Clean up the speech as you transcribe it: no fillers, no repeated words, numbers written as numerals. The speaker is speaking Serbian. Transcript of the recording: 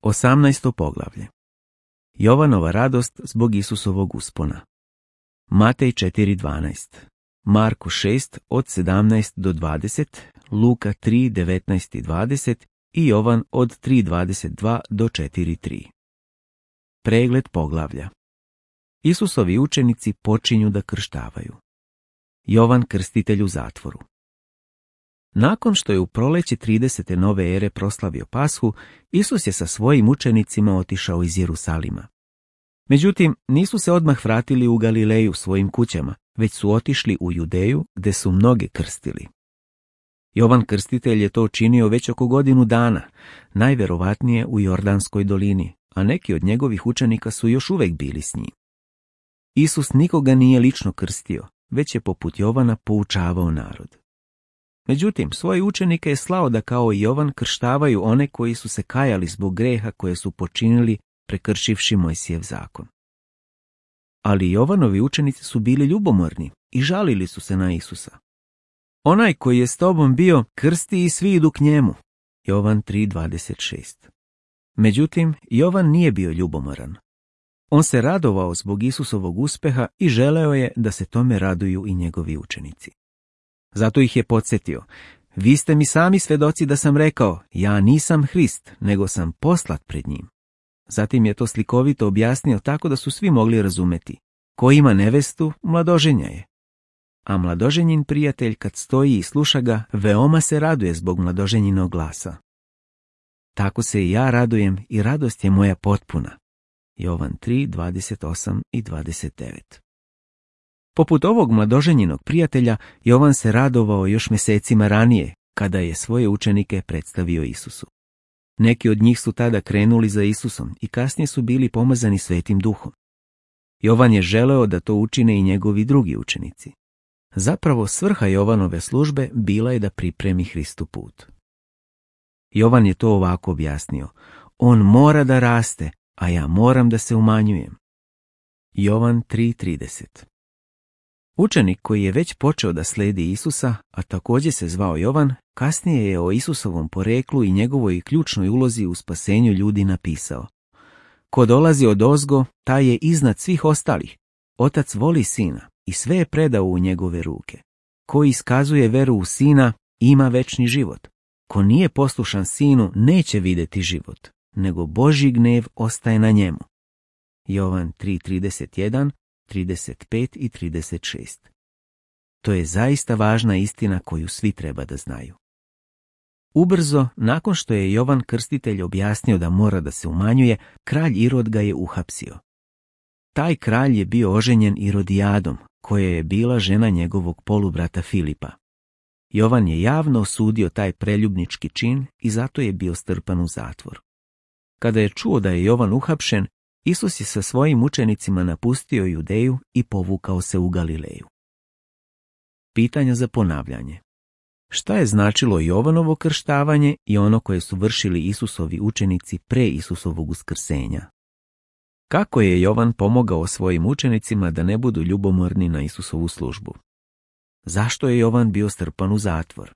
18. poglavlje. Jovanova radost zbog Isusovog uspona. Matej 4.12, Marko 6 od 17 do 20, Luka 3.19 i 20 i Jovan od 3.22 do 4.3. Pregled poglavlja. Isusovi učenici počinju da krštavaju. Jovan krstitelj u zatvoru. Nakon što je u proleće 30. nove ere proslavio Pashu, Isus je sa svojim učenicima otišao iz Jerusalima. Međutim, nisu se odmah vratili u Galileju svojim kućama, već su otišli u Judeju, gde su mnoge krstili. Jovan krstitelj je to učinio već oko godinu dana, najverovatnije u Jordanskoj dolini, a neki od njegovih učenika su još uvek bili s njim. Isus nikoga nije lično krstio, već je poput Jovana poučavao narod. Međutim, svoje učenike je slao da kao i Jovan krštavaju one koji su se kajali zbog greha koje su počinili prekršivši Mojsijev zakon. Ali Jovanovi učenici su bili ljubomorni i žalili su se na Isusa. Onaj koji je s tobom bio, krsti i svi idu k njemu. Jovan 3.26. Međutim, Jovan nije bio ljubomoran. On se radovao zbog Isusovog uspeha i želeo je da se tome raduju i njegovi učenici. Zato ih je podsjetio: vi ste mi sami svedoci da sam rekao, ja nisam Hrist, nego sam poslat pred njim. Zatim je to slikovito objasnio tako da su svi mogli razumeti: ko ima nevestu, mladoženja je. A mladoženjin prijatelj kad stoji i sluša ga, veoma se raduje zbog mladoženjinog glasa. Tako se i ja radujem i radost je moja potpuna. Jovan 3.28 i 29. Poput ovog mladoženjinog prijatelja, Jovan se radovao još mjesecima ranije, kada je svoje učenike predstavio Isusu. Neki od njih su tada krenuli za Isusom i kasnije su bili pomazani Svetim Duhom. Jovan je želeo da to učine i njegovi drugi učenici. Zapravo svrha Jovanove službe bila je da pripremi Hristu put. Jovan je to ovako objasnio: on mora da raste, a ja moram da se umanjujem. Jovan 3.30. Učenik koji je već počeo da sledi Isusa, a također se zvao Jovan, kasnije je o Isusovom poreklu i njegovoj ključnoj ulozi u spasenju ljudi napisao: ko dolazi odozgo, taj je iznad svih ostalih. Otac voli sina i sve je predao u njegove ruke. Ko iskazuje veru u sina, ima večni život. Ko nije poslušan sinu, neće vidjeti život, nego Božji gnev ostaje na njemu. Jovan 3.31, 35 i 36. To je zaista važna istina koju svi treba da znaju. Ubrzo, nakon što je Jovan krstitelj objasnio da mora da se umanjuje, kralj Irod ga je uhapsio. Taj kralj je bio oženjen Irodijadom, koja je bila žena njegovog polubrata Filipa. Jovan je javno osudio taj preljubnički čin i zato je bio strpan u zatvor. Kada je čuo da je Jovan uhapšen, Isus je sa svojim učenicima napustio Judeju i povukao se u Galileju. Pitanja za ponavljanje. Šta je značilo Jovanovo krštavanje i ono koje su vršili Isusovi učenici pre Isusovog uskrsenja? Kako je Jovan pomogao svojim učenicima da ne budu ljubomorni na Isusovu službu? Zašto je Jovan bio strpan u zatvor?